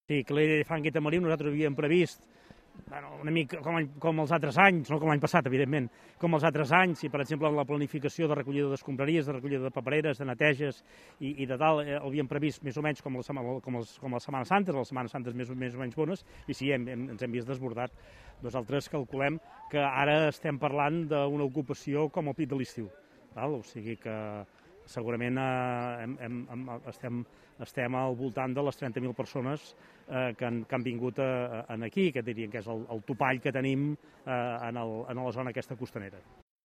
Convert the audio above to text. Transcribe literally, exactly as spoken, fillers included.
Sí, que l'elefant Guita Marí nosaltres havíem previst, bueno, una mica com, com els altres anys, no com l'any passat, evidentment, com els altres anys, i per exemple la planificació de recollida d'escombraries, de recollida de papereres, de neteges i, i de tal, eh, havíem previst més o menys com, la, com, els, com les Setmanes Santes, les Setmanes Santes més, més o menys bones, i sí, hem, hem, ens hem vist desbordat. Nosaltres calculem que ara estem parlant d'una ocupació com al pit de l'estiu, o sigui que segurament eh, hem, hem, estem, estem al voltant de les trenta mil persones eh, que, han, que han vingut a, a, aquí, que dirien que és el, el topall que tenim eh, en, el, en la zona aquesta costanera.